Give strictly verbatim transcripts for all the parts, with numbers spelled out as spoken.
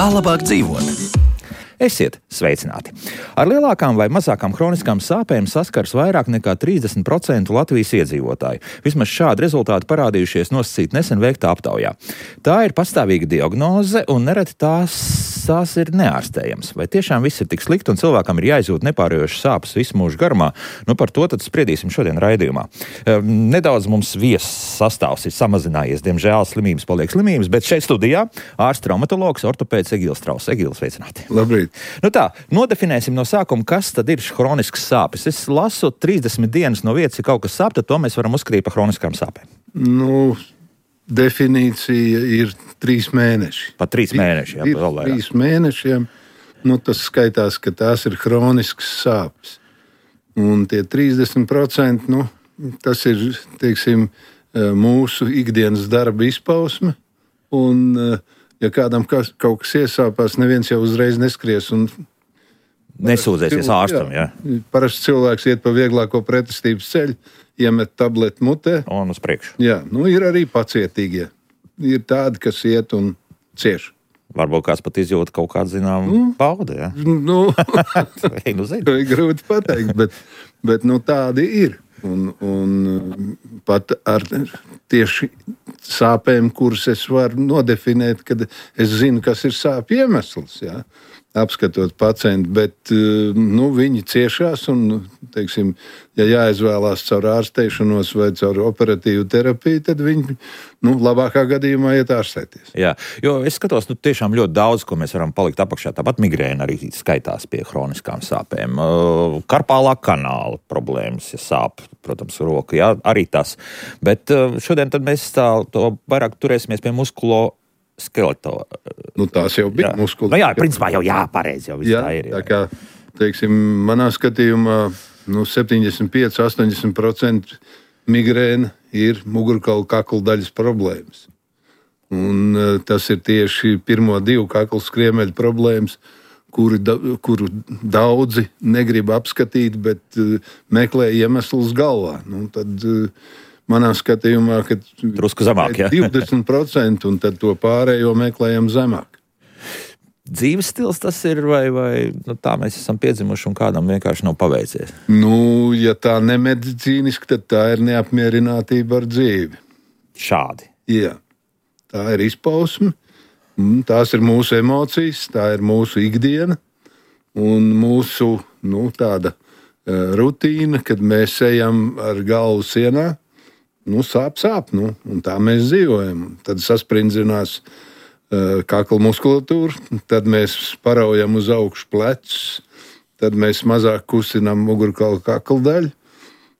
Kā labāk dzīvot? Esiet sveicināti! Ar lielākām vai mazākām hroniskām sāpēm saskars vairāk nekā trīsdesmit procenti Latvijas iedzīvotāju. Vismaz šādi rezultāti parādījušies nosacīt nesen veiktā aptaujā. Tā ir pastāvīga diagnoze un nereti tās, tās ir neārstējams. Vai tiešām viss ir tik slikti un cilvēkam ir jāizjūt nepārējošas sāpes visu mūžu garumā? Nu par to tad spriedīsim šodien raidījumā. Nedaudz mums viesu sastāvs ir samazinājies, diemžēl slimības paliek slimības, bet šeit studijā ārsts traumatologs, ortopēds Egils Strauss. Egils, sveicināti! Labrīt! Nu tā, nodefinēsim no sākuma, kas tad ir hroniskas sāpes. Es lasu trīsdesmit dienas no vietas, ja kaut kas sāp, tad to mēs varam uzskatīt par hroniskām sāpēm. Nu, definīcija ir trīs mēneši. Pat trīs mēneši, jā, ir vēl vairāk. Trīs mēnešiem, nu tas skaitās, ka tās ir hroniskas sāpes. Un tie trīsdesmit procenti, nu, tas ir, teiksim, mūsu ikdienas darba izpausme. Un ja kādam kas, kaut kas iesāpās, neviens jau uzreiz neskries un nesūdzēsies ārstam, jā. Parasti cilvēks iet pa vieglāko pretestības ceļu, iemet tableti mutē. Un uz priekšu. Jā, nu ir arī pacietīgie. Ir tādi, kas iet un cieš. Varbūt kāds pat izjūt kaut kādu, zinām, nu, baudu, jā. Nu, Ei, nu zinu. grūti pateikt, bet, bet nu, tādi ir. Un, un pat ar tieši sāpēm, kuras es varu nodefinēt, kad es zinu, kas ir sāpju iemesls, jā, apskatot pacientu, bet nu, viņi ciešās un, teiksim, ja jāizvēlās caur ārstēšanos vai caur operatīvu terapiju, tad viņi, nu, labākā gadījumā iet ārstēties. Jā, jo es skatos, nu, tiešām ļoti daudz, ko mēs varam palikt apakšā. Tāpat migrēna arī skaitās pie hroniskām sāpēm. Karpālā kanāla problēmas, ja sāp, protams, roka, jā, arī tas. Bet šodien tad mēs tā, to vairāk turēsimies pie muskulo skeleto. Nu, tās jau bija muskulo. Nu jā, principā jau jā, pareizi jau viss jā, tā ir. Jā. Tā kā, teiksim, manā skatījumā, nu, septiņdesmit pieci līdz astoņdesmit procenti migrēna ir mugurkaula kakla daļas problēmas. Un uh, tas ir tieši pirmo divu kakla skriemeļu problēmas, kuri, da, kuru daudzi negrib apskatīt, bet uh, meklē iemeslus galvā. Nu, tad, uh, manā skatījumā, ka drusku zemāk, jā. divdesmit procenti un tad to pārējo meklējam zemāk. Dzīves stils tas ir, vai, vai nu, tā mēs esam piedzimuši un kādam vienkārši nav paveicies? Nu, ja tā nemedicīniski, tad tā ir neapmierinātība ar dzīvi. Šādi? Jā, tā ir izpausme, tās ir mūsu emocijas, tā ir mūsu ikdiena un mūsu, nu, tāda uh, rutīna, kad mēs ejam ar galvu sienā. Nu, sāp, sāp, nu, un tā mēs dzīvojam. Tad saspringzinās uh, kakla muskulatūra, tad mēs paraujam uz augšu plecus, tad mēs mazāk kustinām mugurkaula kakla daļu,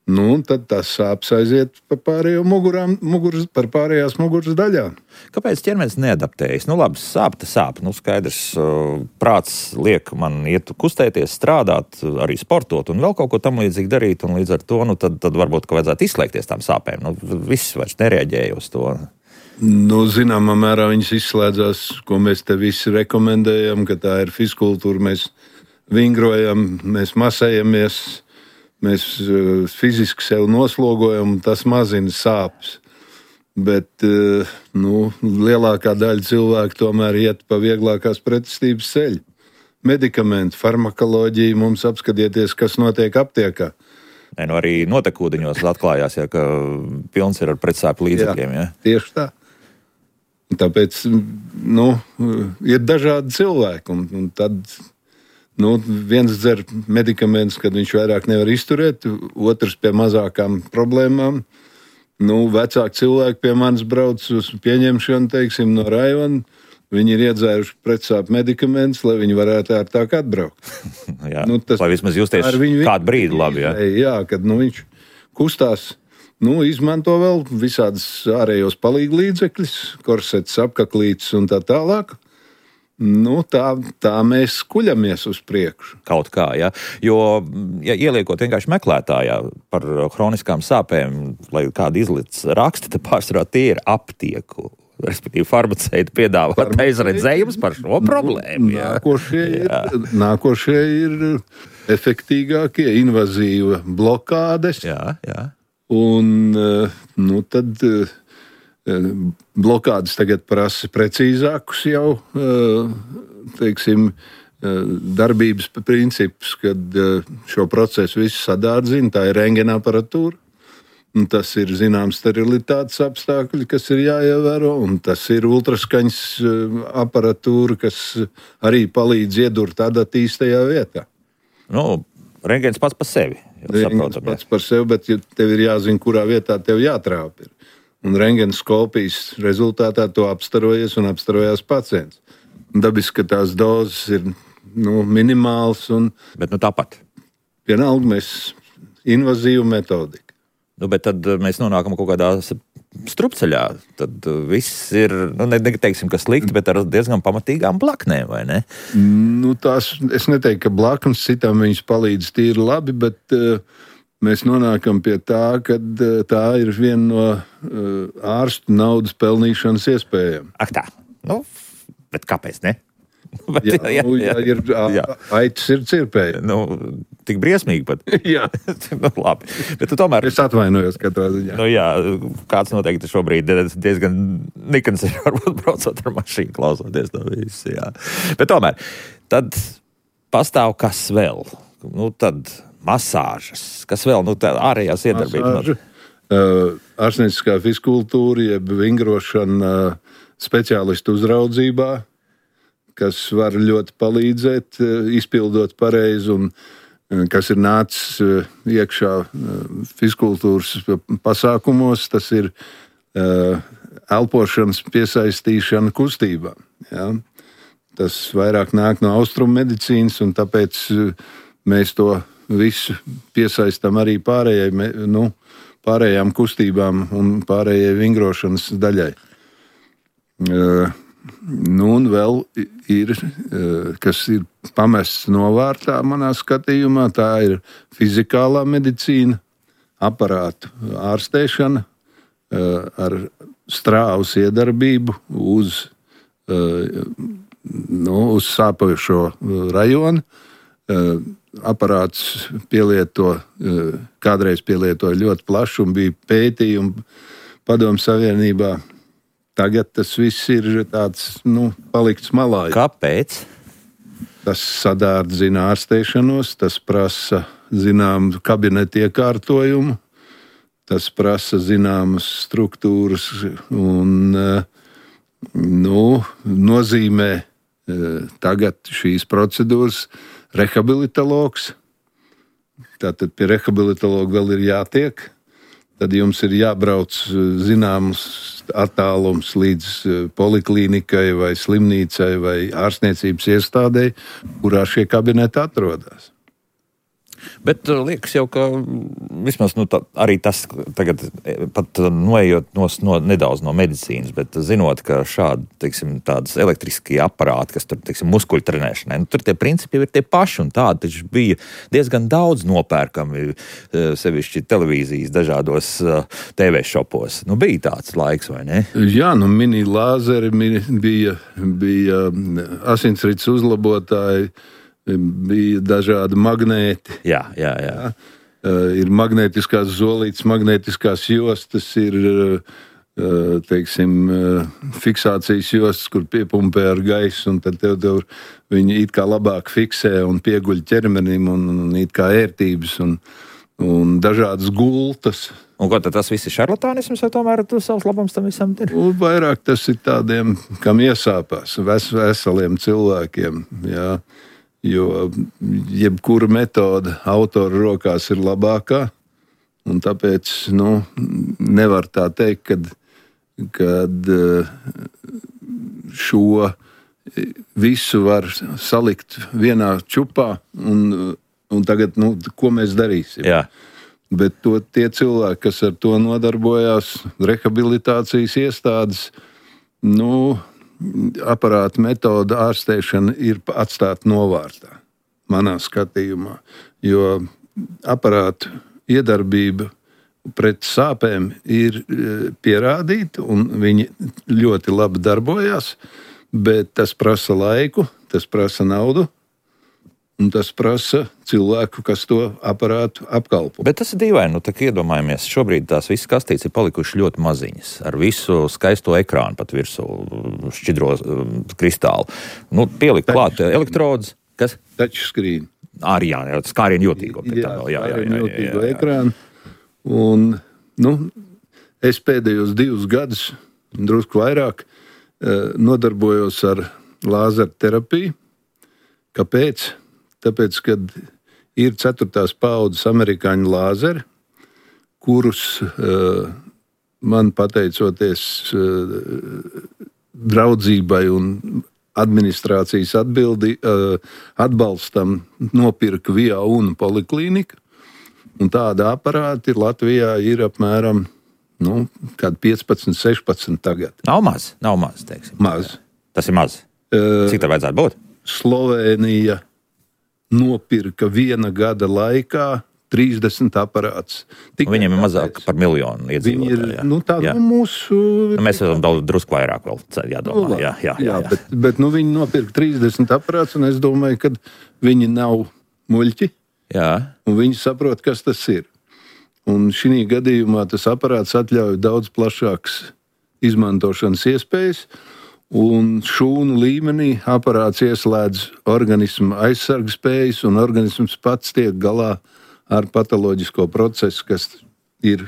nu, un tad tas sāps aiziet par pārējo mugurām, muguras, par pārējās muguras daļām. Kāpēc ķermenis neadaptējas? Nu, labi, sāp, tas sāp. Nu, skaidrs, uh, prāts liek man iet kustēties, strādāt, arī sportot un vēl kaut ko tam līdzīgi darīt, un līdz ar to, nu, tad, tad varbūt, ka vajadzētu izslēgties tām sāpēm. Nu, viss vairs nereaģēja uz to. Nu, zināmā mērā viņas izslēdzās, ko mēs te visi rekomendējam, ka tā ir fizkultūra, mēs vingrojam, mēs masējamies, mēs uh, fiziski sev noslogojam, un tas mazina sāpes. Bet uh, nu, lielākā daļa cilvēku tomēr iet pa vieglākās pretestības ceļu. Medikamenti, farmakoloģija, mums apskatieties, kas notiek aptiekā. Nē, nu arī notekūdeņos atklājās, ja, ka pilns ir ar pretsāpju līdzekļiem. Jā, ja? Tieši tā. Tāpēc nu, ir dažādi cilvēki, un, un tad nu, viens dzer medikamentus, kad viņš vairāk nevar izturēt, otrs pie mazākām problēmām. Nu, vecāki cilvēki pie manis brauc uz pieņemšanu, teiksim, no rajona. Viņi ir iedzēruši pretsāpju medikamentus, lai viņi varētu ērtāk atbraukt. jā, nu, tas, lai vismaz justies kādu brīdi labi. Jā, jā kad nu, viņš kustās, nu, izmanto vēl visādas ārējos palīglīdzekļus, korsetes, apkaklītes un tā tālāk. Nu, tā, tā mēs kuļamies uz priekšu. Kaut kā, jā. Jo, ja ieliekot vienkārši meklētājā par hroniskām sāpēm, lai kādu izlic raksti, tad pārsvarā tie ir aptieku, respektīvi farmaceiti piedāvāt aizredzējumus par šo problēmu. Jā. Nākošie, ir, nākošie ir efektīgākie, invazīva blokādes. Jā, jā. Un, nu, tad blokādes tagad prasa precīzākus jau, teiksim, darbības principus, kad šo procesu visu sadārdzina. Tā ir rentgena aparatūra. Un tas ir zināms sterilitātes apstākļi, kas ir jāievēro, un tas ir ultraskaņas aparatūra, kas arī palīdz iedurt adatīs tajā vietā. Nu, rentgens pats par sevi. Rentgens pats par sevi, bet tev ir jāzina, kurā vietā tev jātrāp ir. Un rentgenskopijas rezultātā to apstarojies un apstarojās pacients. Dabiski, ka tās dozes ir nu, minimāls. Un bet nu tāpat. Vienalga mēs invazīvu metodiku. Nu, bet tad mēs nonākam kaut kādā strupceļā. Tad viss ir, nu, neteiksim, ka slikti, bet ar diezgan pamatīgām blaknēm, vai ne? Nu, tās, es neteiktu, ka blaknes citām viņas palīdz tīri labi, bet uh, mēs nonākam pie tā, ka uh, tā ir viena no uh, ārstu naudas pelnīšanas iespējām. Ak tā, nu, bet kāpēc ne? Bet, jā, jā, nu, jā, ir, jā. Aitas ir cirpēja. Nu, tik briesmīgi pat. Jā. Nu, labi. Bet tu tomēr... Es atvainojos katrā ziņā. Nu, jā, kāds noteikti šobrīd diezgan nikans ir varbūt braucot ar mašīnu, klausoties to visu, jā. Bet tomēr, tad pastāv kas vēl? Nu, tad masāžas. Kas vēl? Nu, tā ārējās iedarbības. Uh, ārstnieciskā fiskultūra, jeb vingrošana uh, speciālistu uzraudzībā, kas var ļoti palīdzēt, izpildot pareizi, un kas ir nācis iekšā fiskultūras pasākumos, tas ir elpošanas piesaistīšana kustībā. Ja? Tas vairāk nāk no austrumu medicīnas, un tāpēc mēs to visu piesaistam arī pārējai, nu, pārējām kustībām un pārējai vingrošanas daļai. Nu, un vēl ir, kas ir pamests novārtā manā skatījumā, tā ir fizikālā medicīna, aparātu ārstēšana ar strāvas iedarbību uz, nu, uz sāpošo rajonu. Aparāts pielieto, kādreiz pielietoja ļoti plaši un bija pētījumi Padomju Savienībā. Tagad tas viss ir tāds, nu, palikts malā. Kāpēc? Tas sadārdzina ārstēšanos, tas prasa zināmu kabinetu iekārtojumu, tas prasa zināmas struktūras un, nu, nozīmē tagad šīs procedūras rehabilitologs. Tātad pie rehabilitologa vēl ir jātiek. Tad jums ir jābrauc zināms attālums līdz poliklīnikai vai slimnīcai vai ārstniecības iestādei, kurā šie kabineti atrodas. Bet liekas jau, ka vismaz nu, tā, arī tas tagad pat noejot no, no, nedaudz no medicīnas, bet zinot, ka šādi, teiksim, tādas elektriskie aparāti, kas tur, teiksim, muskuļu trenēšanai, nu, tur tie principi ir tie paši, un tādi taču bija diezgan daudz nopērkami, sevišķi televīzijas dažādos T V šopos. Nu, bija tāds laiks, vai ne? Jā, nu, mini lāzeri bija, bija asinsrites uzlabotāji, bija dažādi magnēti. Jā, jā, jā. jā. Uh, ir magnētiskās zolītes, magnētiskās jostas, ir, uh, teiksim, uh, fiksācijas jostas, kur piepumpē ar gaisu, un tad tev, tev viņi it kā labāk fiksē un pieguļ ķermenim, un, un it kā ērtības, un, un dažādas gultas. Un ko tad tas viss ir šarlatānisms, vai tomēr tu savs labums tam visam ir? Un vairāk tas ir tādiem, kam iesāpās, ves, veseliem cilvēkiem, jā. Jo jebkura metode autora rokās ir labākā, un tāpēc, nu, nevar tā teikt, kad, kad šo visu var salikt vienā čupā, un, un tagad, nu, ko mēs darīsim? Jā. Bet to, tie cilvēki, kas ar to nodarbojās, rehabilitācijas iestādes, nu, aparāta metoda ārstēšana ir atstāta novārtā, manā skatījumā, jo aparātu iedarbība pret sāpēm ir pierādīta, un viņi ļoti labi darbojās, bet tas prasa laiku, tas prasa naudu, un tas prasa cilvēku, kas to aparātu apkalpo. Bet tas ir dīvaini, nu tā iedomājamies, šobrīd tās visas kastītes ir palikušas ļoti maziņas, ar visu skaisto ekrānu pat virsū, šķidro kristālu. Nu, pielikt klāt elektrodus, kas? Touchscreen. Arī jā, skārienu jūtīgo. Jā, skārienu jūtīgo ekrānu. Un, nu, es pēdējos divus gadus, drusku vairāk, nodarbojos ar lāzeru terapiju. Kāpēc? Tāpēc, kad ir ceturtās paudzes amerikāņu lāzeri, kurus uh, man pateicoties uh, draudzībai un administrācijas atbildi, uh, atbalstam nopirka Via un Poliklīnika. Un tāda aparāti Latvijā ir apmēram nu, piecpadsmit, sešpadsmit tagad. Nav maz, nav maz, teiksim. Maz. Tas ir maz. Uh, Cik tā vajadzētu būt? Slovēnija nopirka viena gada laikā trīsdesmit aparātus. Viņiem ir mazāk par miljonu iedzīvotāju. Ir, nu, tā jā. Nu, mūsu... Nu, mēs esam daudz drusku vairāk vēl jādomā. Nu, jā, jā, jā, jā, jā. Bet, bet nu, viņi nopirka trīsdesmit aparātus, un es domāju, ka viņi nav muļķi. Jā. Un viņi saprot, kas tas ir. Un šī gadījumā tas aparāts atļauj daudz plašākas izmantošanas iespējas. Un šūnu līmenī aparāts ieslēdz organismu aizsargu spējas, un organisms pats tiek galā ar patoloģisko procesu, kas ir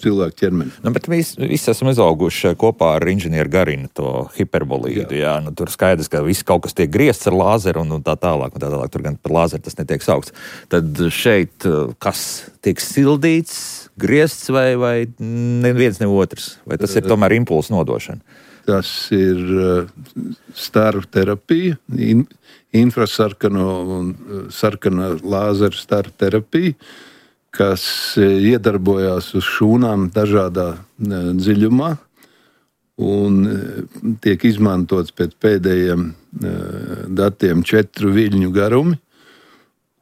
cilvēku ķermenī. Nu, bet mēs visi esam izauguši kopā ar inženieru Garinu, to hiperbolīdu. Jā. Jā, nu, tur skaidrs, ka viss kaut kas tiek griezts ar lāzeru un, un tā tālāk, un tā tālāk. Tur gan par lāzeru tas netiek saukts. Tad šeit kas tiek sildīts, griezts vai, vai neviens ne otrs? Vai tas ir tomēr impulsu nodošana? Tas ir staru terapija, in, infrasarkano un sarkana lāzeru staru terapija, kas iedarbojās uz šūnām dažādā dziļumā un tiek izmantots pēc pēdējiem datiem četru viļņu garumi,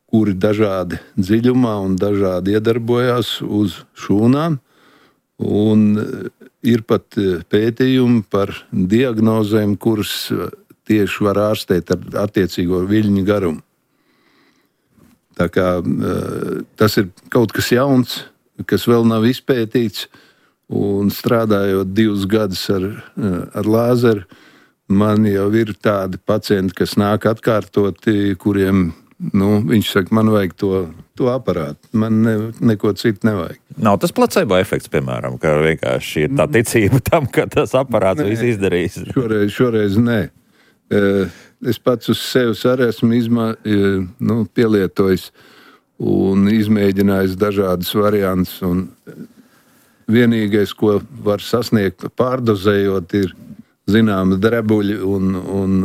kuri dažādi dziļumā un dažādi iedarbojās uz šūnām. Un ir pat pētījumi par diagnozēm, kuras tieši var ārstēt ar attiecīgo viļņu garumu. Tā kā tas ir kaut kas jauns, kas vēl nav izpētīts, un strādājot divus gadus ar, ar lāzeru, man jau ir tādi pacienti, kas nāk atkārtoti, kuriem, nu, viņš saka, man vajag to, to aparātu, man ne, neko citu nevajag. Nav tas placebo efekts, piemēram, ka vienkārši ir tā ticība tam, ka tas aparāts nē, viss izdarīs? Šoreiz, šoreiz nē. Es pats uz sevis arī esmu izmā, nu, pielietojis un izmēģinājis dažādas variantus. Un vienīgais, ko var sasniegt pārdozējot, ir zināma drebuļi un, un,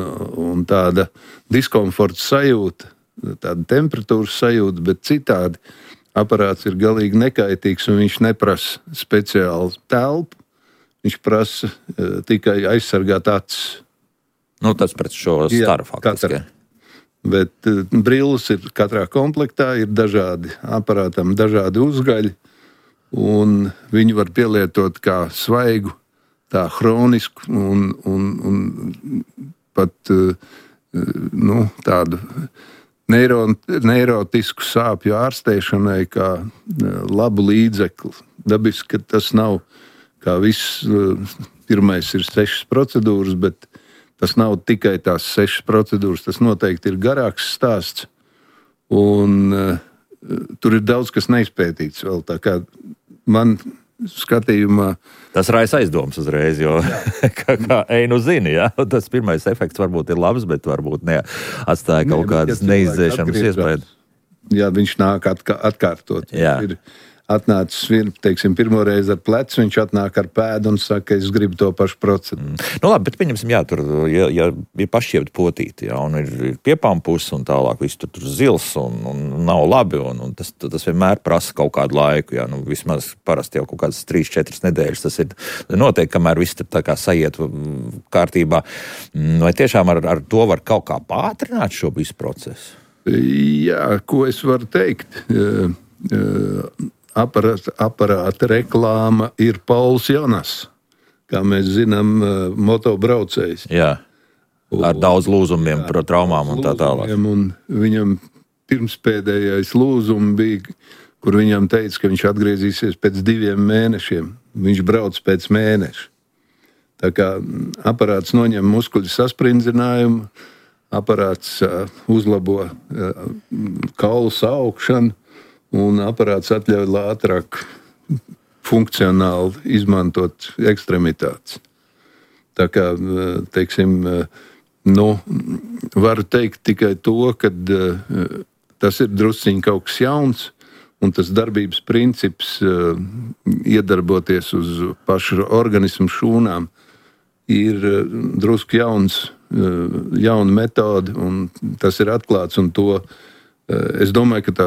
un tāda diskomforta sajūta, tāda temperatūras sajūta, bet citādi aparāts ir galīgi nekaitīgs un viņš neprasa speciālu telpu. Viņš prasa uh, tikai aizsargāt acis. Nu, tas pret šo staru faktiski. Bet uh, brilles ir katrā komplektā, ir dažādi aparātam, dažādi uzgaļi, un viņi var pielietot kā svaigu, tā hronisku un, un, un pat uh, nu, tādu neiro, neirotisku sāpju ārstēšanai kā uh, labu līdzekli. Dabiski, ka tas nav kā viss, uh, pirmais ir sešas procedūras, bet tas nav tikai tās sešas procedūras, tas noteikti ir garāks stāsts, un uh, tur ir daudz, kas neizpētīts vēl, tā kā man skatījumā. Tas raisa aizdomas uzreiz, jo kā, kā einu zini, ja? Tas pirmais efekts varbūt ir labs, bet varbūt ne, atstāja kaut Nē, kādas ja neizdzēšanas iespējas. Jā, viņš nāk atkā, atkārtot. Jā. Ir atnācis, teiksim, pirmo reizi ar plecu, viņš atnāk ar pēdu un saka, es gribu to pašu procedūru. Mm. Nu labi, bet pieņemsim, jā, tur, ja, ja ir pašķiept potīti, jā, un ir, ir piepampus un tālāk, viss tur, tur zils un, un nav labi, un, un tas, tas vienmēr prasa kaut kādu laiku, jā, nu vismaz parasti jau kaut kādas trīs, četras nedēļas, tas ir noteikti, kamēr viss tā kā sajiet kārtībā. Vai tiešām ar, ar to var kaut kā pātrināt šo visu procesu? Jā, ko es varu teikt? Uh, uh, Aparāta, aparāta reklāma ir Pauls Jonas, kā mēs zinām, motobraucējs. Jā, ar daudz lūzumiem, jā, traumām un tā tālāk. Un viņam pirmspēdējais lūzums bija, kur viņam teica, ka viņš atgriezīsies pēc diviem mēnešiem. Viņš brauc pēc mēneša. Tā kā aparāts noņem muskuļu sasprindzinājumu, aparāts uh, uzlabo uh, kaulu saukšanu, un aparāts atļauj ātrāk funkcionāli izmantot ekstremitātes. Tā kā, teiksim, nu, varu teikt tikai to, ka uh, tas ir drusciņ kaut kas jauns, un tas darbības princips uh, iedarboties uz pašu organismu šūnām ir uh, drusku jauns, uh, jauna metode, un tas ir atklāts, un to es domāju, ka tā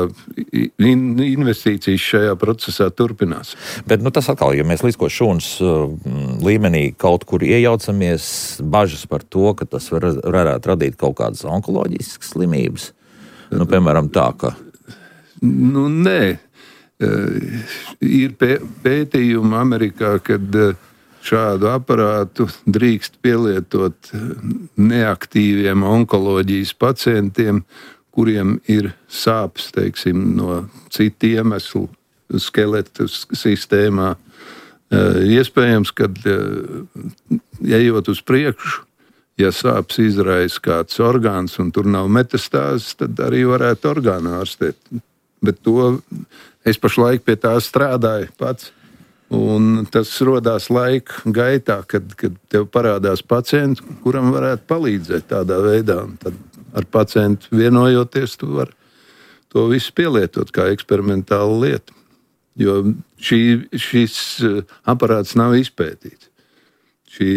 investīcijas šajā procesā turpinās. Bet nu, tas atkal, ja mēs līdzko šūnas līmenī kaut kur iejaucamies, bažas par to, ka tas var, varētu radīt kaut kādas onkoloģiskas slimības. Nu, piemēram, tā, ka... Nu, nē. Ir pētījumi Amerikā, kad šādu aparātu drīkst pielietot neaktīviem onkoloģijas pacientiem, kuriem ir sāpes, teiksim, no citu iemeslu skeleta sistēmā. Iespējams, kad ejot uz priekšu, ja sāpes izraisa kāds orgāns un tur nav metastāzes, tad arī varētu orgānu ārstēt. Bet to es pašlaik pie tā strādāju pats. Un tas rodās laika gaitā, kad, kad tev parādās pacients, kuram varētu palīdzēt tādā veidā. Un tad ar pacientu vienojoties, tu vari to visu pielietot kā eksperimentālu lietu. Jo šī, šis aparāts nav izpētīts. Šī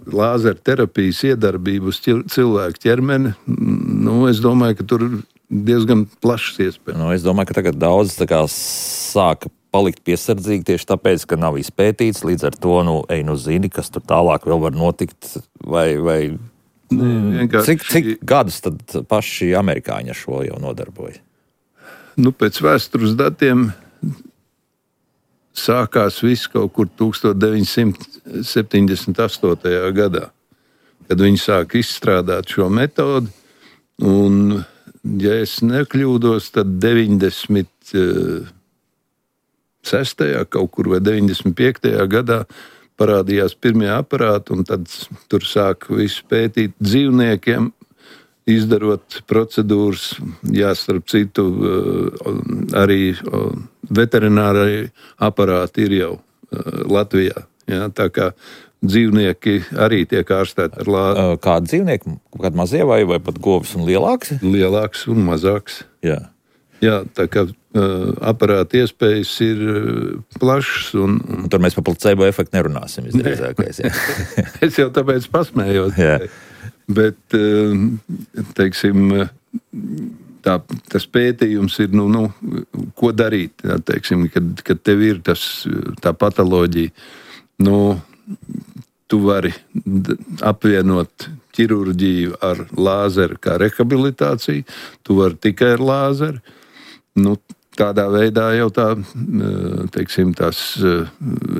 lāzerterapijas iedarbība uz cilvēku ķermeni, nu, es domāju, ka tur diezgan plašs iespējas. Nu, es domāju, ka tagad daudz tā kā sāka palikt piesardzīgi tieši tāpēc, ka nav izpētīts, līdz ar to, nu, ej, nu zini, kas tur tālāk vēl var notikt, vai... vai... Ne, cik, cik gadus tad paši amerikāņi ar šo jau nodarbojas? Nu, pēc vēstures datiem sākās viss kaut kur deviņdesmit septiņdesmit astotajā gadā, kad viņi sāk izstrādāt šo metodi. Un, ja es nekļūdos, tad deviņdesmit sestajā kaut kur vai deviņdesmit piektajā gadā parādījās pirmie aparāti, un tad tur sāk visu pētīt dzīvniekiem, izdarot procedūras, jā, starp citu, arī veterinārai aparāti ir jau Latvijā. Jā, tā kā dzīvnieki arī tiek ārstēti ar lāzi. Kādi dzīvnieki? Kādi mazie vai, vai pat govis un lielāks? Lielāks un mazāks. Jā. Jā, tā kā uh, aparāta iespējas ir uh, plašas. Un, un... un tur mēs par placebo efektu nerunāsim, visdrīzākais. Es jau tāpēc pasmējos. Jā. Bet, uh, teiksim, tā, tas pētījums ir, nu, nu ko darīt, jā, teiksim, kad, kad tev ir tas, tā patoloģija. Nu, tu vari apvienot ķirurģiju ar lāzeru kā rehabilitāciju, tu vari tikai ar lāzeru. Nu, tādā veidā jau tā, teiksim, tās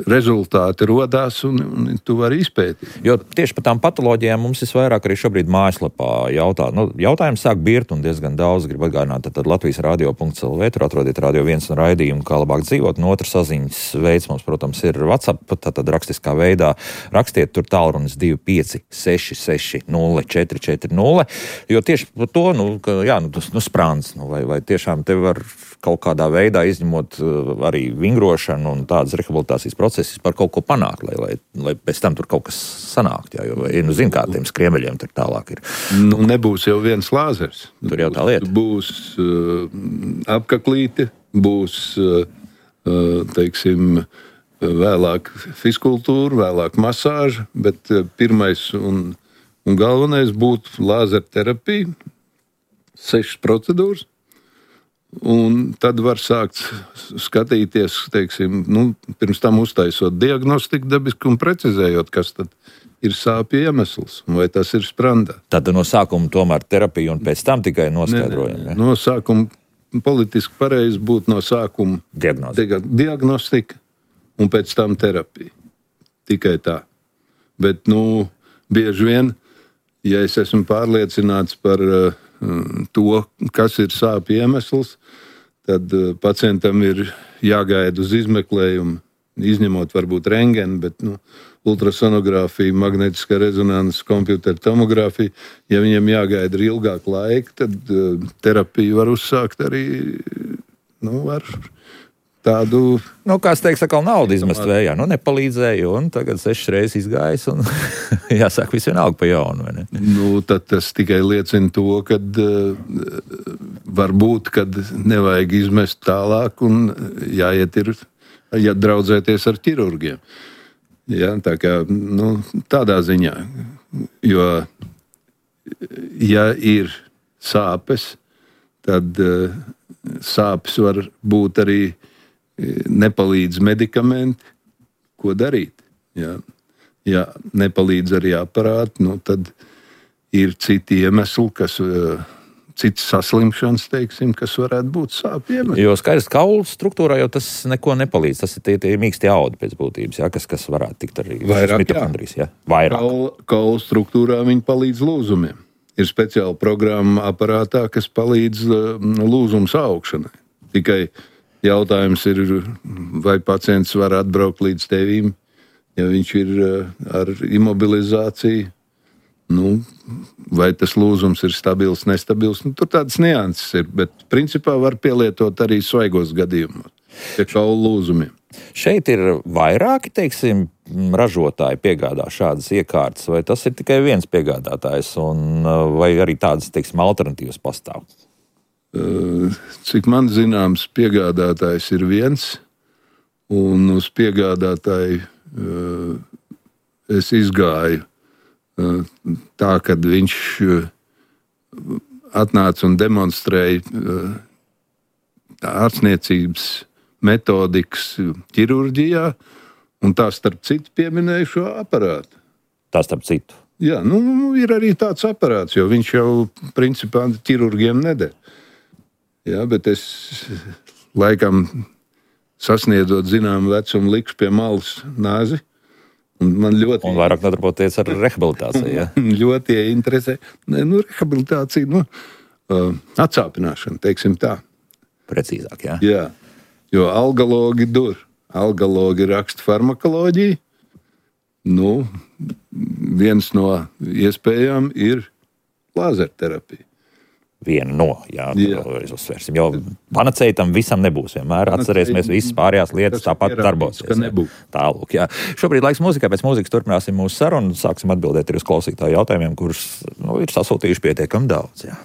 rezultāti rodās un, un tu vari izpētīt. Jo tieši par tām patoloģijām mums visvairāk arī šobrīd mājaslapā jautā. Nu, jautājums sāk birt un diezgan daudz grib atgādināt. Tad Latvijas radio punkts el vē, tur atrodiet Radio viens un raidījumu, kā labāk dzīvot. Un otrs saziņas veids mums, protams, ir WhatsApp, tātad rakstiskā veidā. Rakstiet tur tālrunis divi pieci seši seši nulle četri četri nulle. Jo tieši par to, nu, ka, jā, nu, tas, nu, sprāns, nu, vai, vai tiešām te var kaut kādā veidā izņemot arī vingrošanu un tādas rehabilitācijas procesus par kaut ko panākt, lai, lai, lai pēc tam tur kaut kas sanākt. Jā, jo, vai, nu, zin, kā tiem skriemeļiem tur tālāk ir. Nu, nebūs jau viens lāzers. Tur jau tā lieta. Būs uh, apkaklīte, būs, uh, teiksim, vēlāk fiskultūra, vēlāk masāža, bet uh, pirmais un, un galvenais būtu lāzerterapija, sešas procedūras. Un tad var sākt skatīties, teiksim, nu, pirms tam uztaisot diagnostiku dabiski un precizējot, kas tad ir sāpju iemesls, vai tas ir sprandā. Tad no sākuma tomēr terapija un pēc tam tikai noskaidrojam. Ne, ne, no sākuma politiski pareizi būtu no sākuma Diagnostika. diagnostika un pēc tam terapija. Tikai tā. Bet, nu, bieži vien, ja es esmu pārliecināts par uh, to, kas ir sāpju iemesls, tad pacientam ir jāgaida uz izmeklējumu, izņemot varbūt rentgenu, bet nu, ultrasonogrāfija, magnetiskā rezonanses, kompjutera tomogrāfija. Ja viņam jāgaida ilgāk laika, tad terapiju var uzsākt arī nu, ar tādu... Nu, kāds teiks, atkal naudu izmest vējā. Nu, nepalīdzēja, un tagad sešas reizes izgājis, un jāsāk visu vienalga pa jaunu, vai ne? Nu, tad tas tikai liecina to, kad uh, varbūt, kad nevajag izmest tālāk, un jāiet ir, ja draudzēties ar ķirurgiem. Ja, tā kā, nu, tādā ziņā, jo, ja ir sāpes, tad uh, sāpes var būt arī nepalīdz medikamenti, ko darīt. Ja, ja nepalīdz arī aparāti, nu, tad ir citi iemesli, kas, cits saslimšanas, teiksim, kas varētu būt sāpju iemesli. Jo skaidrs, kaulu struktūrā jau tas neko nepalīdz. Tas ir tie, tie mīksti audi pēc būtības, ja, kas, kas varētu tikt arī vairāk, mitokondrijas. Ja? Vairāk. Kaulu, kaulu struktūrā viņi palīdz lūzumiem. Ir speciāla programma aparātā, kas palīdz lūzums augšanai. Tikai jautājums ir, vai pacients var atbraukt līdz tevīm, ja viņš ir ar imobilizāciju, nu, vai tas lūzums ir stabils, nestabils. Nu, tur tādas nianses ir, bet principā var pielietot arī svaigos gadījumos, pie kaulu lūzumiem. Šeit ir vairāki, teiksim, ražotāji piegādā šādas iekārtas, vai tas ir tikai viens piegādātājs, un vai arī tādas, teiksim, alternatīvas pastāv? Cik man zināms, piegādātājs ir viens, un uz piegādātāju es izgāju tā, kad viņš atnāca un demonstrēja ārstniecības metodikas ķirurģijā, un tā starp citu pieminēju šo aparātu. Tā starp citu? Jā, nu ir arī tāds aparāts, jo viņš jau principā ķirurgiem neder. Jā, bet es laikam sasniedzot zināmu vecumu likšu pie malas nāzi. Un man ļoti... Un vairāk nodarboties ar rehabilitāciju, ja? Ļoti interesē. Ne, nu, rehabilitācija, nu, uh, atsāpināšana, teiksim tā. Precīzāk, jā? Jā, jo algalogi dur. Algalogi raksta farmakoloģiju. Nu, viens no iespējām ir lāzerterapija. Viena no, jā, jā. Uzsvērsim, jo panacēja tam visam nebūs vienmēr. Atcerēsimies, visas pārējās lietas tāpat darbosies. Tālūk, jā. Šobrīd laiks mūzikai, pēc mūzikas turpināsim mūsu sarunu, sāksim atbildēt arī uz klausītāju jautājumiem, kurus nu, ir sasūtījuši pietiekami daudz, jā.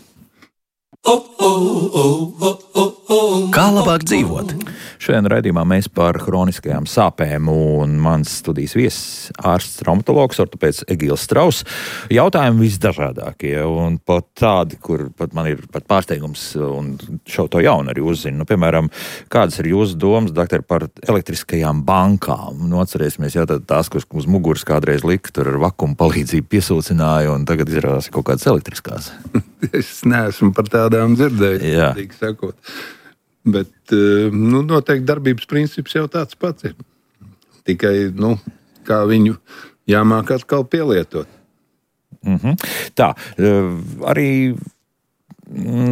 Kā labāk dzīvot? Šodien raidījumā mēs par hroniskajām sāpēm, un mans studijas viesis ārsts traumatologs, ortopēds Egīls Strauss. Jautājumi visdažādākie, un pat tādi, kur pat man ir pat pārsteigums, un šo to jaunu arī uzzinu. Nu, piemēram, kādas ir jūsu domas, doktor, par elektriskajām bankām? Nu, atcerēsimies, jā, tās, kuras uz muguras kādreiz lika, tur ar vakumu palīdzību piesūcināja, un tagad izrādās kaut kādas elektriskās. Es neesmu par tādām dzirdējis, tīk sakot. Bet, nu, noteikti darbības princips jau tāds pats ir. Tikai, nu, kā viņu jāmāk atkal pielietot. Mm-hmm. Tā, arī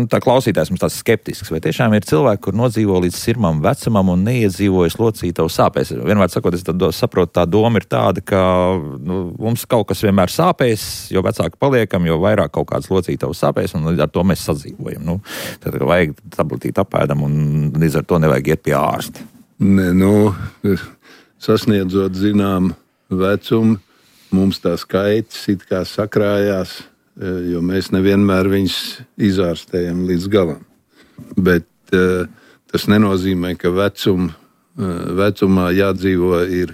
tā klausītājs mums tāds skeptisks, vai tiešām ir cilvēki, kur nodzīvo līdz sirmam vecumam un neiedzīvojas locītavu sāpēs. Vienmēr sakot, es tad saprotu, tā doma ir tāda, ka nu, mums kaut kas vienmēr sāpēs, jo vecāki paliekam, jo vairāk kaut kāds locītavu sāpēs, un ar to mēs sadzīvojam. Nu, tad vajag tabletīt apēdam, un līdz ar to nevajag iet pie ārsta. Ne, nu, sasniedzot zinām vecumu, mums tā skaitas it kā sakrājās, jo mēs nevienmēr viņus izārstējam līdz galam. Bet uh, tas nenozīmē, ka vecum, uh, vecumā jādzīvo ir,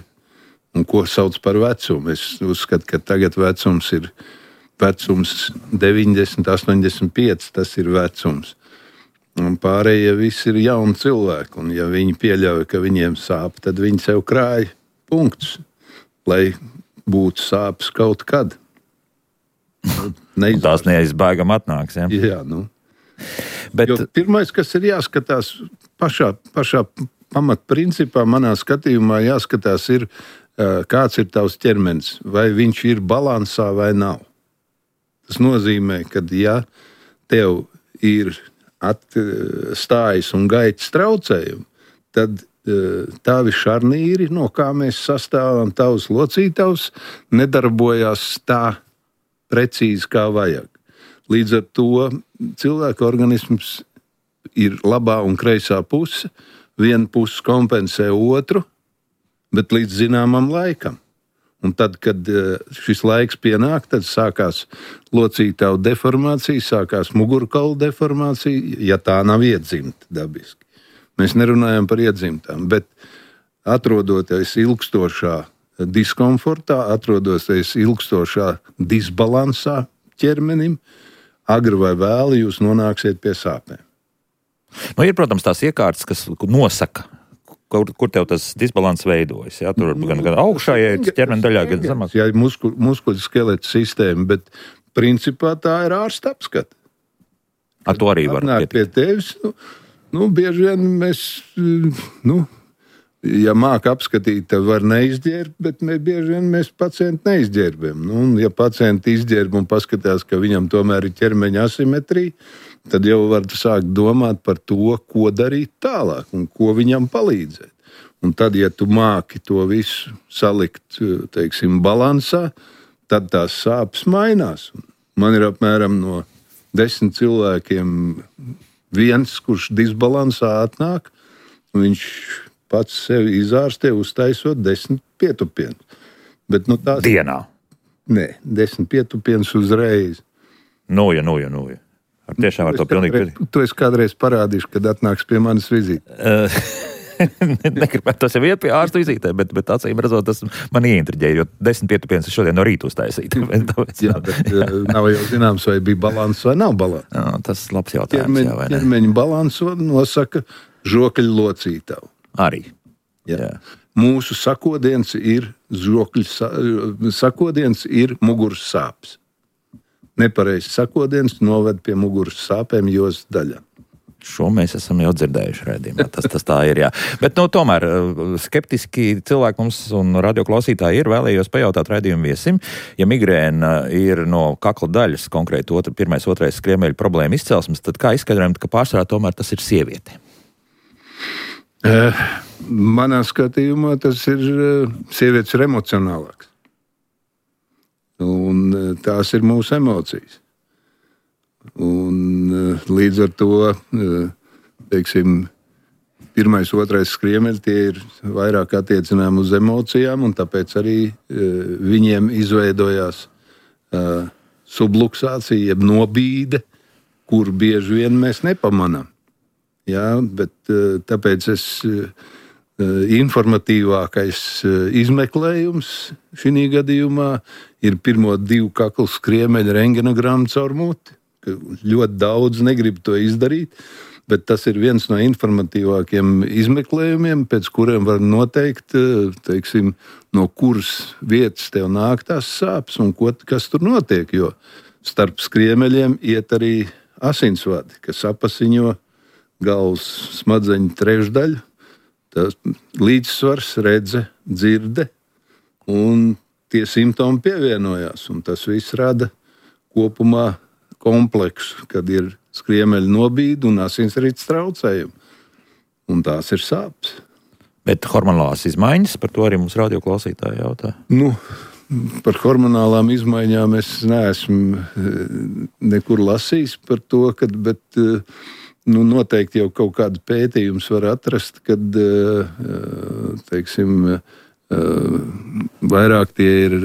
un ko sauc par vecumu. Es uzskatu, ka tagad vecums ir vecums deviņdesmit, astoņdesmit pieci, tas ir vecums. Un pārējie visi ir jauni cilvēki, un ja viņi pieļauj, ka viņiem sāp, tad viņi sev krāja punktus, lai būtu sāpes kaut kad. Neizvārst. Tās neizbēgam atnāks, ja? Jā, nu. Bet... Jo pirmais, kas ir jāskatās pašā, pašā pamatprincipā, manā skatījumā jāskatās ir, kāds ir tavs ķermenis, vai viņš ir balansā vai nav. Tas nozīmē, ka ja tev ir atstājas un gaitas traucējumi, tad tavi šarnīri, no kā mēs sastāvam, tavs locītavs, nedarbojās tā precīzi, kā vajag. Līdz ar to cilvēka organisms ir labā un kreisā puse, viena puse kompensē otru, bet līdz zināmam laikam. Un tad, kad šis laiks pienāk, tad sākās locītavu deformācija, sākās mugurkaula deformācija, ja tā nav iedzimta dabiski. Mēs nerunājam par iedzimtām, bet atrodoties ilgstošā diskomfortā, atrodoties ilgstošā disbalansā ķermenim, agri vai vēli jūs nonāksiet pie sāpēm. Nu, ir, protams, tās iekārtas, kas nosaka, kur, kur tev tas disbalans veidojas. Ja? Tur gan, gan augšējai ķermeņa daļā, gan zemāk. Jā, ir musku, muskuļu skeleta sistēma, bet principā tā ir ārsta apskata. Ar to arī var pietikt. Pie tevis, nu, nu, bieži vien mēs, nu, ja māk apskatīt, tad var neizģērbt, bet mēs bieži vien mēs pacientu neizģērbam. Nu, un ja pacienti izģērb un paskatās, ka viņam tomēr ir ķermeņa asimetrija, tad jau var sākt domāt par to, ko darīt tālāk un ko viņam palīdzēt. Un tad, ja tu māki to visu salikt, teiksim, balansā, tad tās sāpes mainās. Man ir apmēram no desmit cilvēkiem viens, kurš disbalansā atnāk, un viņš pats sevi izārstē, uztaisot desmit pietupienus. Bet, nu, tās... Dienā? Nē, desmit pietupienus uzreiz. Noja, noja, noja. Ar tiešām ar to pilnīgi... Tu esi kādreiz parādīšu, kad atnāks pie manas vizītes. Negribētu tas jau iet pie ārsta vizītē, bet, bet acīm redzot, tas man ieintriģēja, jo desmit pietupienus šodien no rīta uztaisīt. Jā, bet nav jau zināms, vai bija balans vai nav balans. Jā, tas ir labs jautājums. Ķermeņa, jā, vai ne? Ķermeņa balansu nosaka žokļu locītavu. Arī. Jā. Jā. Mūsu sakodiens ir žokļu, sakodiens ir muguras sāpes. Nepareizs sakodiens noved pie muguras sāpēm jostas daļā. Šo mēs esam jau dzirdējuši redzījumā. Tas, tas tā ir, jā. Bet, nu, tomēr skeptiski cilvēki mums un radioklausītāji ir. Vēlējos pajautāt redzījumu viesim. Ja migrēna ir no kakla daļas, konkrēti otra, pirmais, otrais skriemeļu problēma izcelsmes, tad kā izskaidrojam, ka pārsvarā tomēr tas ir sieviete? Uh, manā skatījumā tas ir uh, sievietes ir emocionālāks. Un uh, tās ir mūsu emocijas. Un uh, līdz ar to, uh, teiksim, pirmais, otrais skriemeļi tie ir vairāk attiecinām uz emocijām, un tāpēc arī uh, viņiem izveidojās uh, subluksācija, jeb nobīde, kur bieži vien mēs nepamanām. Jā, bet uh, tāpēc es uh, informatīvākais uh, izmeklējums šī gadījumā ir pirmo divu kaklu skriemeļu rentgenogramu caur muti. Ļoti daudz negrib to izdarīt, bet tas ir viens no informatīvākiem izmeklējumiem, pēc kuriem var noteikt, teiksim, no kuras vietas tev nāk tās sāpes un ko, kas tur notiek, jo starp skriemeļiem iet arī asinsvadi, kas apasiņo galvas smadzeņu trešdaļu, tas līdzsvars, redze, dzirde, un tie simptomi pievienojās, un tas viss rada kopumā kompleksu, kad ir skriemeļa nobīde un asinsrites traucējumi. Un tās ir sāpes. Bet hormonālās izmaiņas, par to arī mums radioklausītāji jautā. Nu, par hormonālām izmaiņām es neesmu nekur lasījis par to, kad, bet nu, noteikti jau kaut kādu pētījumus var atrast, kad, teiksim, vairāk tie ir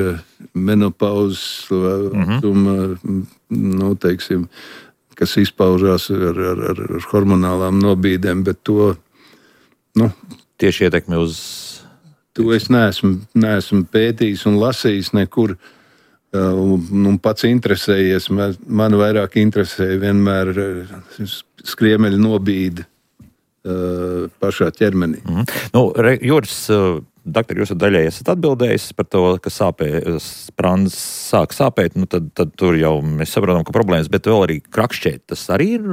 menopauzes vecuma, mm-hmm. nu, teiksim, kas izpaužās ar, ar, ar, ar hormonālām nobīdēm, bet to, nu, tieši ietekmi uz... To es neesmu, neesmu pētījis un lasījis nekur, un, un pats interesējies. Man, man vairāk interesēja vienmēr skriemeļa nobīde pašā ķermenī. Mm. Nu, re, Juris, doktor, jūs daļai esat atbildējis par to, ka sāpē, sprāns sāk sāpēt, nu tad, tad tur jau mēs saprotam, ka problēmas, bet vēl arī krakšķēt, tas arī ir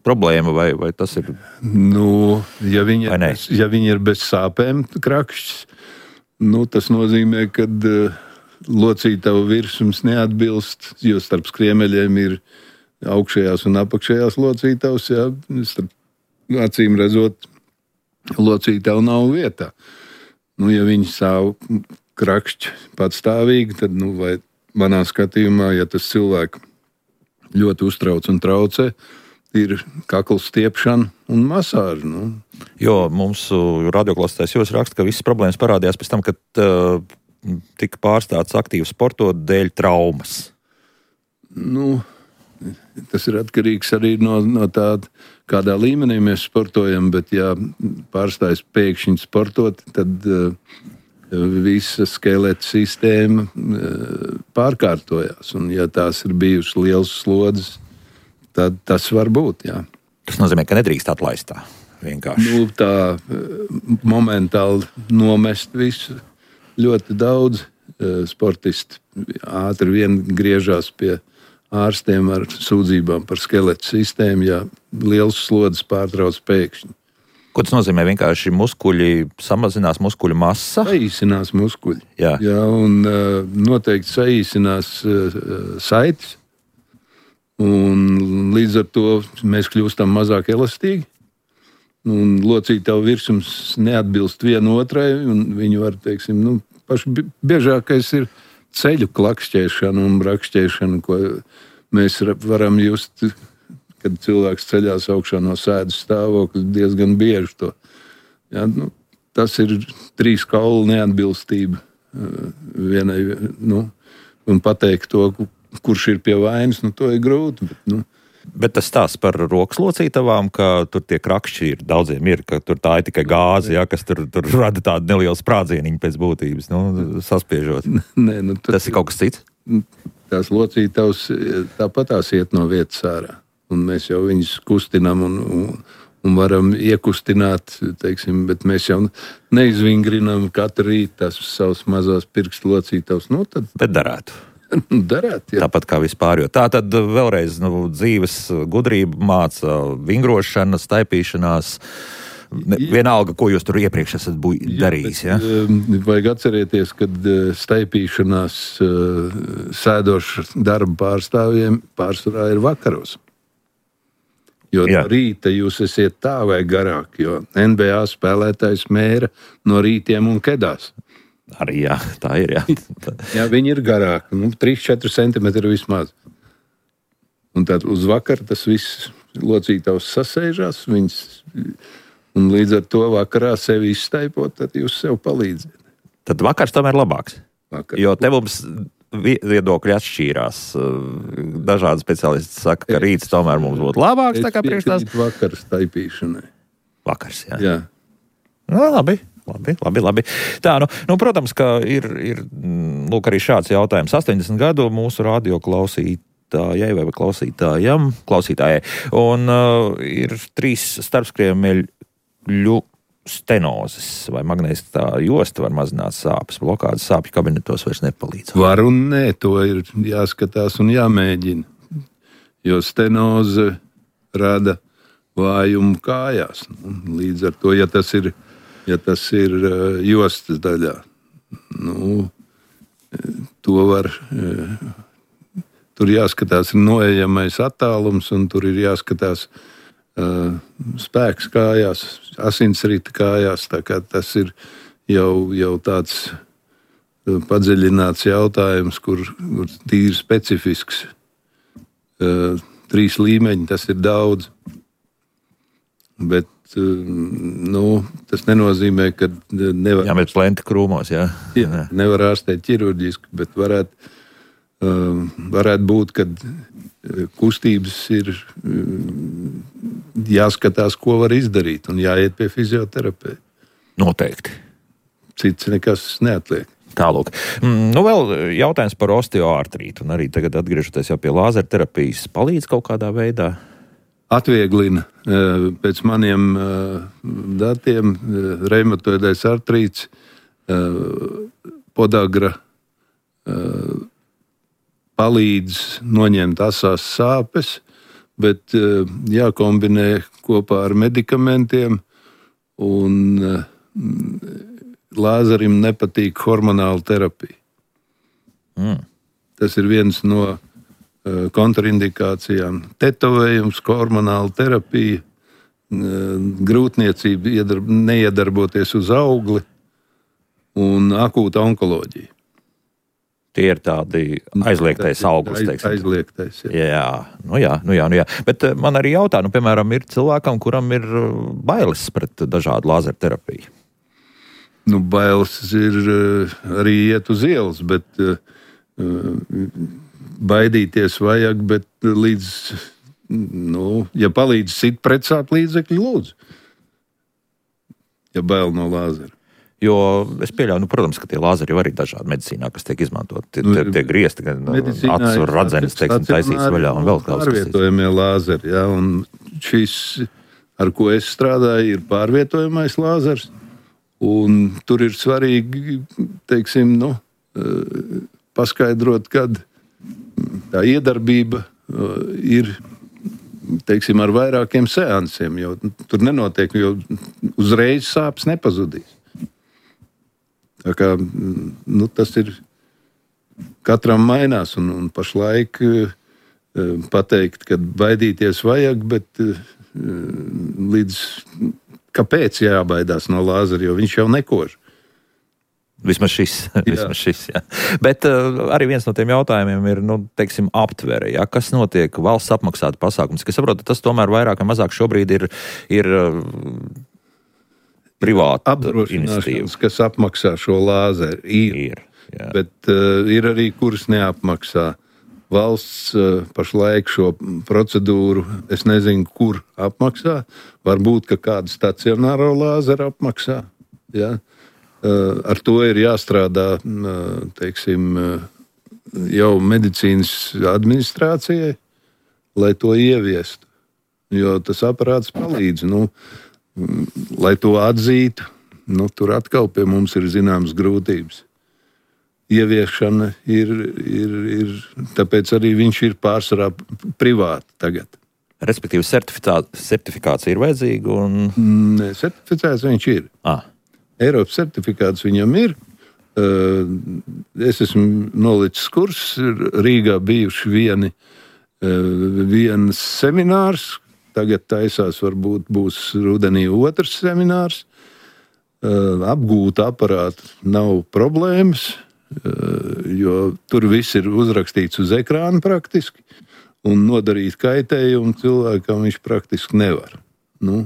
problēma, vai, vai tas ir? Nu, ja viņi, ir, ja viņi ir bez sāpēm krakšķis, nu, tas nozīmē, ka uh, locītavu virsums neatbilst, jo starp skriemeļiem ir augšējās un apakšējās locītavas, jā, starp acīm redzot, locītavu nav vietā. Nu, ja viņi stāv krakšķi patstāvīgi, tad, nu, vai manā skatījumā, ja tas cilvēku ļoti uztrauc un traucē, ir kakla stiepšana un masāža. Nu. Jo mums radioklausītājs jūs raksta, ka visas problēmas parādījās pēc tam, kad uh, tika pārstāts aktīvi sportot dēļ traumas. Nu, tas ir atkarīgs arī no, no tāda, kādā līmenī mēs sportojam, bet ja pārstājas pēkšņi sportot, tad uh, visa skeleta sistēma uh, pārkārtojās. Un ja tās ir bijušas liels slodzes, tad tas var būt, jā. Tas nozīmē, ka nedrīkst atlaist tā vienkārši. Nu, tā uh, momentāli nomest visu. Ļoti daudz uh, sportisti ātri vien griežās pie ārstiem ar sūdzībām par skeleta sistēmu, ja liels slodzes pārtrauc pēkšņi. Ko tas nozīmē? Vienkārši muskuļi samazinās, muskuļu masa? Saīsinās muskuļi. Jā. Jā, un uh, noteikti saīsinās uh, saites. Un līdz ar to mēs kļūstam mazāk elastīgi. Un locītavu virsums neatbilst vienotrai, un viņi var, teiksim, nu, paši biežākais ir ceļu klakšķēšana un brakšķēšana, ko mēs varam just, kad cilvēks ceļās augšā no sēdes stāvokļa, diezgan bieži to. Jā, nu, tas ir trīs kaulu neatbilstība vienai, nu, un pateikt to, kurš ir pie vainas, nu, to ir grūti, bet, nu. Bet tas stāsts par rokas locītavām, ka tur tie krakšķi ir, daudziem ir, ka tur tā ir tikai gāze, ja, kas tur, tur rada tādu nelielu sprādzieniņu pēc būtības, nu, saspiežot. Nē, nu, tas, tas ir kaut kas cits? Tās locītavas tāpat tās iet no vietas ārā. Un mēs jau viņus kustinām un, un, un varam iekustināt, teiksim, bet mēs jau neizvingrinām katru rītu tās savas mazās pirkstu locītavas. Nu, tad... Bet darētu. Darēt, jā. Tāpat kā vispār. Jo tā tad vēlreiz nu, dzīves gudrība māca vingrošana, staipīšanās. Vienalga, ko jūs tur iepriekš esat buj, darījis. Jā, bet, ja? Vajag atcerēties, kad staipīšanās sēdoša darba pārstāvjiem pārsvarā ir vakaros. Jo jā. No rīta jūs esiet tā vai garāk, jo N B A spēlētājs mēra no rītiem un kedās. Arī jā, tā ir, jā. Jā, viņi ir garāki, nu, trīs četri centimetri vismaz. Un tad uz vakaru tas viss locītavs sasēžās, viņas, un līdz ar to vakarā sevi izstaipot, tad jūs sev palīdziet. Tad vakars tomēr labāks. Vakar. Jo te mums viedokļi atšķīrās. Dažādi speciālisti saka, ka rīts tomēr mums būtu labāks, tā kā priekš tās. Vakars staipīšanai. Vakars, jā. Jā. Nu, labi. Labi, labi, labi. Tā, nu, nu, protams, ka ir, ir lūk, arī šāds jautājums. astoņdesmit gadu mūsu radio klausītājai vai klausītājam, klausītājai. Un uh, ir trīs starpskriemeļu stenozes vai magnētiskā josta var mazināt sāpes. Blokādes sāpju kabinetos vairs nepalīdz. Var un nē, to ir jāskatās un jāmēģina. Jo stenoze rada vājumu kājās. Līdz ar to, ja tas ir Ja tas ir uh, jostas daļā, nu, to var, uh, tur jāskatās noejamais attālums, un tur ir jāskatās uh, spēks kājās, asinsrita kājās, tā kā tas ir jau, jau tāds uh, padziļināts jautājums, kur, kur tīri specifisks. Uh, trīs līmeņi, tas ir daudz, bet nu, tas nenozīmē, ka nevar... Jā, bet plenti krūmos, jā. jā nevar ārstēt ķirurģiski, bet varētu, uh, varētu būt, kad kustības ir uh, jāskatās, ko var izdarīt, un jāiet pie fizioterapeita. Noteikti. Cits nekas neatliek. Tālūk. Nu, vēl jautājums par osteoartrītu, un arī tagad atgriežoties jau pie lāzerterapijas, palīdz kaut kādā veidā? Atvieglina pēc maniem datiem reumatoidais artrīts, podagra palīdz noņemt asās sāpes, bet jākombinē kopā ar medikamentiem, un lāzerim nepatīk hormonāla terapija. Mm. Tas ir viens no kontraindikācijām. Tetovējums, hormonāla terapija, grūtniecība, iedarb, neiedarboties uz augli un akūta onkoloģija. Tie ir tādi aizliegtais auglis, teiksim. Aizliegtais, jā. Jā, nu jā, nu jā, nu jā. Bet man arī jautā, nu, piemēram, ir cilvēkam, kuram ir bailes pret dažādu lāzerterapiju. Nu, bailes ir arī iet uz ielas, bet baidīties vajag, bet līdz, nu, ja palīdz sit pretsāp līdzekļi, lūdzu. Ja bail no lāzera. Jo es pieļauju, nu, protams, ka tie lāzeri jau arī dažādi medicīnā, kas tiek izmantot. Tie, tie, tie griezti, gan acu radzenes, teiksim, taisīts vaļā un vēl kaut kas. Pārvietojamie lāzeri, jā, un šis, ar ko es strādāju, ir pārvietojamais lāzers, un tur ir svarīgi, teiksim, nu, paskaidrot, kad tā iedarbība ir, teiksim, ar vairākiem seansiem, jo tur nenotiek, jo uzreiz sāpes nepazudīs. Tā kā, nu, tas ir katram mainās, un, un pašlaik uh, pateikt, ka baidīties vajag, bet uh, līdz kāpēc jābaidās no lāzera, jo viņš jau nekož. Vismaz šis, vismaz šis, jā. Bet uh, arī viens no tiem jautājumiem ir, nu, teiksim, aptvere, jā, kas notiek valsts apmaksāta pasākums, kas saprotu, tas tomēr vairāk vai mazāk šobrīd ir, ir uh, privāta iniciatīva. Kas apmaksā šo lāzeru, ir, ir jā. Bet uh, ir arī, kuras neapmaksā. Valsts uh, pašlaik šo procedūru, es nezinu, kur apmaksā. Varbūt, ka kādu stacionāro lāzeru apmaksā. Ja? Uh, ar to ir jāstrādā, uh, teiksim, uh, jau medicīnas administrācijai, lai to ieviestu. Jo tas aparāts palīdz. Nu, lai to atzītu, nu, tur atkal pie mums ir zināmas grūtības. Ieviešana ir, ir, ir, tāpēc arī viņš ir pārsvarā privāti tagad. Respektīvi, certifikācija ir vajadzīga un... Nē, certificēts viņš ir. Ah. Eiropas certifikāts viņam ir. Es esmu nolicis kurs, Rīgā bijuši vieni, viens seminārs, tagad taisās, varbūt būs rudenī otrs seminārs. Apgūt aparātu nav problēmas, jo tur viss ir uzrakstīts uz ekrāna praktiski, un nodarīt kaitējumu cilvēkam viņš praktiski nevar. Nu,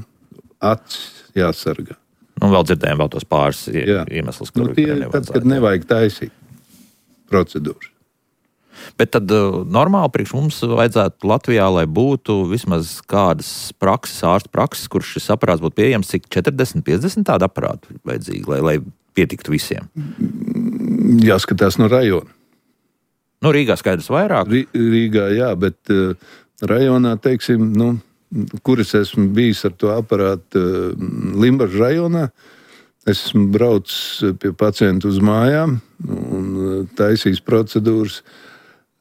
acis jāsargā. Nu, vēl dzirdējām vēl tos pāris iemeslus, kur nu, tie ir tad, kad nevajag taisīt procedūras. Bet tad uh, normāli priekš mums vajadzētu Latvijā, lai būtu vismaz kādas prakses, ārstu prakses, kurš šis aparāts būtu pieejams, cik četrdesmit, piecdesmit tādu aparātu vajadzīgi, lai, lai pietiktu visiem? Jāskatās no rajona. Nu, Rīgā skaidrs vairāk. R Rīgā, jā, bet uh, rajonā, teiksim, nu, kur es esmu bijis ar to aparātu uh, Limbažu rajonā, es esmu braucis pie pacientu uz mājām un uh, taisījis procedūras.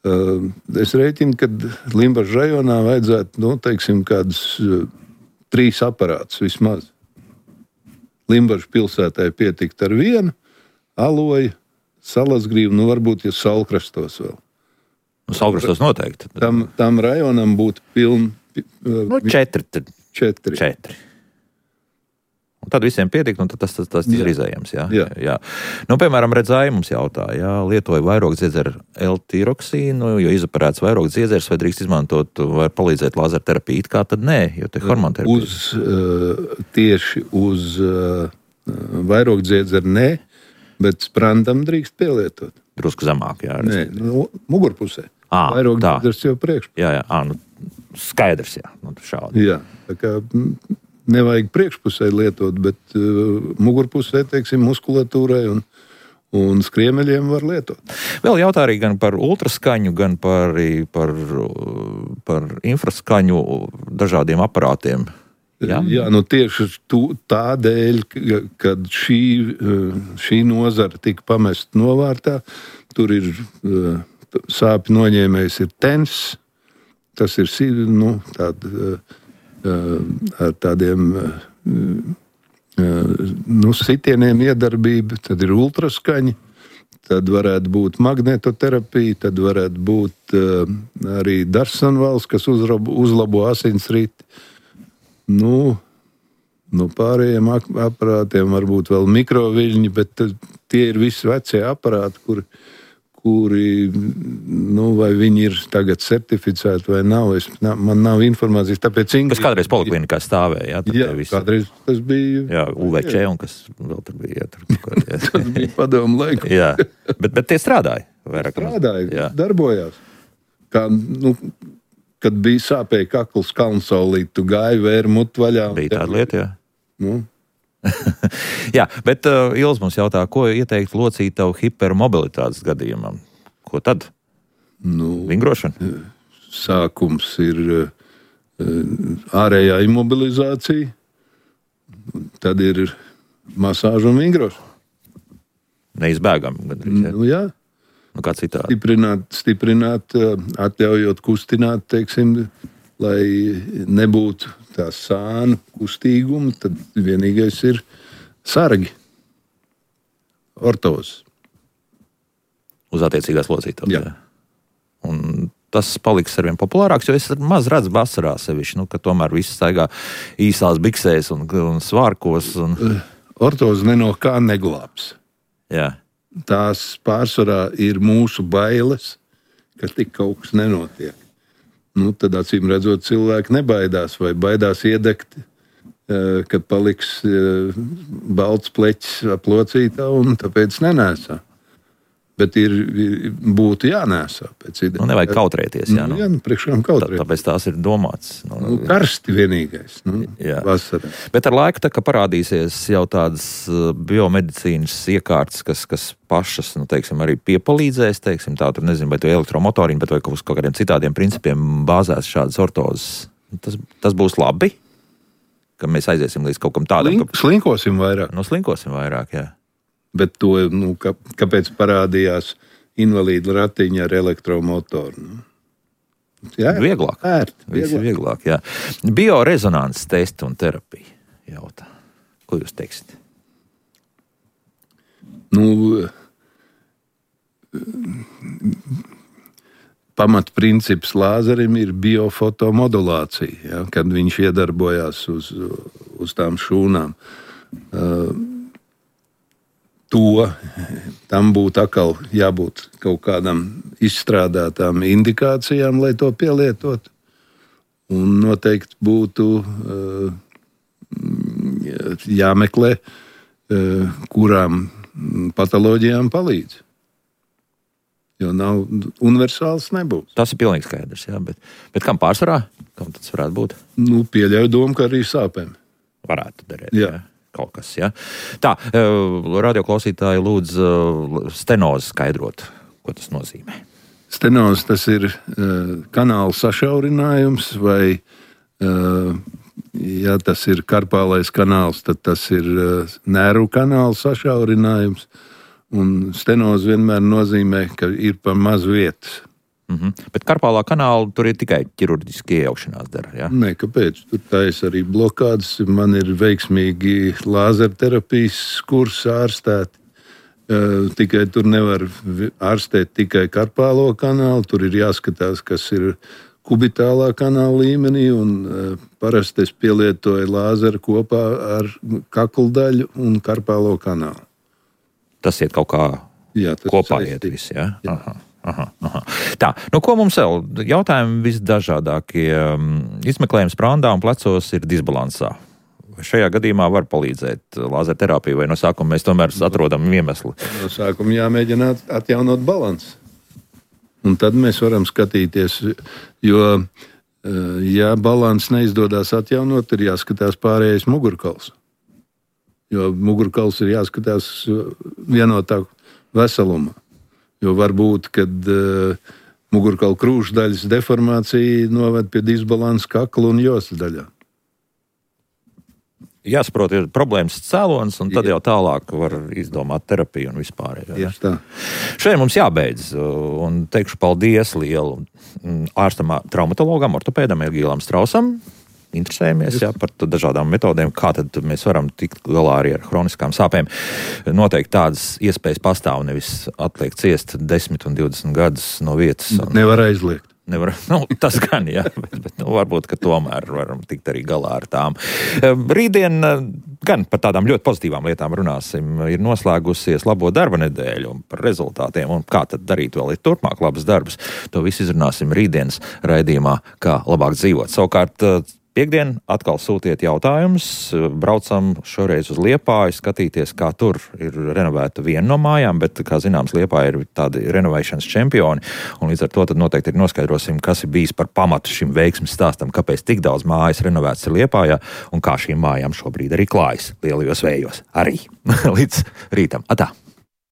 Uh, es rēķinu, ka Limbažu rajonā vajadzētu, nu, teiksim, kādus uh, trīs aparātus vismaz. Limbažu pilsētai pietikt ar vienu, Aloja, Salasgrīva, nu, varbūt, ja Salkrastos vēl. Nu, Salkrastos noteikti. Tam, tam rajonam būtu pilni... Uh, nu, četri. Četri. Četri. Un tad visiem pietikt, un tad tas, tas, tas ir izējams. Jā. Jā. Jā. Nu, piemēram, redzēja mums jautā, jā, lietoja vairogdziedzeru L-tiroksīnu, jo izoperēts vairogdziedzers, vai drīkst izmantot, vai palīdzēt lāzerterapiju, it kā tad nē, jo te hormonterapija. Uz, uh, tieši uz uh, vairogdziedzeru nē, bet sprandam drīkst pielietot. Drusku zemāk, jā. Nē, nu, mugurpusē. Ā, vairogdziedzers jau priekšpusē. Jā, jā, ā, nu, skaidrs, jā. Nu, šādi. Jā, tā kā... Nevajag priekšpusē lietot, bet uh, mugurpusē, teiksim, muskulatūrai un, un skriemeļiem var lietot. Vēl jautā arī gan par ultraskaņu, gan par, par, par infraskaņu dažādiem aparātiem. Jā, Jā nu tieši tu, tādēļ, kad šī, šī nozara tika pamest novārtā, tur ir uh, sāpju noņēmējs ir tens, tas ir, nu, tāda... Uh, ar tādiem nu, sitieniem iedarbība, tad ir ultraskaņi, tad varētu būt magnetoterapija, tad varētu būt uh, arī Darsonvals, kas uzrabo, uzlabo asinsriti. Nu, nu, pārējiem aparātiem varbūt vēl mikroviļņi, bet tie ir visi vecie aparāti, kuri, kuri nu, vai viņi ir tagad certificēti vai nav. Es, man nav informācijas, tāpēc Ingrid... Kas kādreiz poliklinikā stāvēja, jā? Jā, visi... kādreiz tas bija... Jā, U V C un kas vēl tur bija. Jā, tur, kā, jā. Tas bija padomu laiku. Jā, bet, bet tie strādāja. Vairāk strādāja, jā. Darbojās. Kā, nu, kad bija sāpēja kakls kalnsaulīt, tu gāji vēri mutu vaļā. Bija tāda lieta, jā. Nu. Jā, bet uh, Ils mums jautā, ko ieteikt locītavu hipermobilitātes gadījumam? Ko tad? Nu, vingrošana? Sākums ir uh, ārējā imobilizācija, tad ir masāža un vingrošana. Neizbēgam. Gandrīz, jā. Nu, jā. Nu, kā citādi? Stiprināt, stiprināt, atļaujot kustināt, teiksim, lai nebūtu tā sānu kustīguma, tad vienīgais ir sargi, ortozes. Uz attiecīgās locītavas. Jā. Jā. Un tas paliks arvien populārāks, jo es maz redzu vasarā sevišķi, nu, ka tomēr viss staigā īsās biksēs un, un svārkos. Un... Ortozes ne no kā neglābs. Jā. Tās pārsvarā ir mūsu bailes, ka tik kaut kas nenotiek. Nu, tad, acīm redzot, cilvēki nebaidās vai baidās iedegt, kad paliks balts pleķis ap locītavu un tāpēc nenēsā. Bet ir, būtu jānēsā pēc idejas. Nu, nevajag kautrēties, jā. Nu, Nu, jā, nu, priekšām kautrēties. tāpēc tās ir domāts. Nu, nu, karsti vienīgais, nu, jā. vasarā. Bet ar laiku tā, ka parādīsies jau tādas biomedicīnas iekārtas, kas, kas pašas, nu, teiksim, arī piepalīdzēs, teiksim, tā, tur nezinu, vai to elektromotorīnu, bet vai uz kaut kādiem citādiem principiem bāzēs šādas ortozes. Tas, tas būs labi, ka mēs aiziesim līdz kaut kam tādam. Slink, ka... Slinkosim vairāk. Nu, slinkosim vairāk, jā. Bet to, nu, ka, kāpēc parādījās invalīdu ratiņa ar elektromotoru? Nu? Jā, vieglāk. Ērt, vieglāk. vieglāk jā. Biorezonanses testi un terapija jautā. Ko jūs teiksiet? Nu, pamatprincips lāzerim ir biofotomodulācija, ja, kad viņš iedarbojās uz, uz tām šūnām. Uh, To, tam būtu atkal jābūt kaut kādam izstrādātām indikācijām, lai to pielietotu. Un noteikti būtu uh, jāmeklē, uh, kurām patoloģijām palīdz. Jo nav universāls nebūs. Tas ir pilnīgi skaidrs, jā, bet, bet kam pārsvarā? Kam tas varētu būt? Nu, pieļauju domu, ka arī sāpēm. Varētu derēt, jā. jā. Kaut kas, ja? Tā, radioklausītāji lūdz stenozi skaidrot, ko tas nozīmē. Stenozi tas ir uh, kanāla sašaurinājums, vai, uh, ja tas ir karpālais kanāls, tad tas ir uh, nervu kanāla sašaurinājums, un stenozi vienmēr nozīmē, ka ir pa maz vietas. Mm-hmm. Bet karpālā kanāla tur ir tikai ķirurģiski iejaukšanās dara, jā? Nē, kāpēc? Tur tais arī blokādes. Man ir veiksmīgi lāzerterapijas kursi ārstēti. Uh, tikai tur nevar ārstēt tikai karpālo kanālu. Tur ir jāskatās, kas ir kubitālā kanāla līmenī. Un, uh, parasti es pielietoju lāzeru kopā ar kakldaļu un karpālo kanālu. Tas iet kaut kā jā, kopā iet viss, jā? jā. Aha. Aha, aha. Tā, nu ko mums vēl? Jautājumi visdažādākie. Izmeklējums prāndā un plecos ir disbalansā. Vai šajā gadījumā var palīdzēt lāzerterapija, vai no sākuma mēs tomēr atrodam iemeslu? No sākuma jāmēģina atjaunot balansu. Un tad mēs varam skatīties, jo, ja balanss neizdodas atjaunot, ir jāskatās pārējais mugurkauls. Jo mugurkauls ir jāskatās vienotā veselumā. Jo var būt, kad uh, mugurkaula krūšdaļas deformācija noved pie disbalansa kakla un jostas daļā. Jāsaprot, ir problēmas cēlonis, un tad jau tālāk var izdomāt terapiju un vispār. Ja? Šodien mums jābeidz, un teikšu paldies lielu ārstam, traumatologam, ortopēdam Egīlam Strausam. interesējamies jā, par dažādām metodēm, kā tad mēs varam tikt galā arī ar hroniskām sāpēm. Noteikti tādas iespējas pastāv, nevis atliek ciest desmit un divdesmit gadus no vietas. Un... Nevar aizliegt. Nevar, nu, tas gan, jā, bet, bet nu, varbūt, ka tomēr varam tikt arī galā ar tām. Rītdien gan par tādām ļoti pozitīvām lietām runāsim. Ir noslēgusies labo darba nedēļu un par rezultātiem un kā tad darīt vēl ir turpmāk labas darbus. To visu izrunāsim rītdienas raidījumā, kā labāk dzīvot. Savukārt, piekdien atkal sūtiet jautājumus, braucam šoreiz uz Liepāju, skatīties, kā tur ir renovēta viena no mājām, bet, kā zināms, Liepāja ir tādi renovēšanas čempioni, un līdz ar to tad noteikti ir noskaidrosim, kas ir bijis par pamatu šim veiksmes stāstam, kāpēc tik daudz mājas renovētas ir Liepājā, un kā šīm mājām šobrīd arī klājas lielajos vējos arī. Līdz rītam. Atā!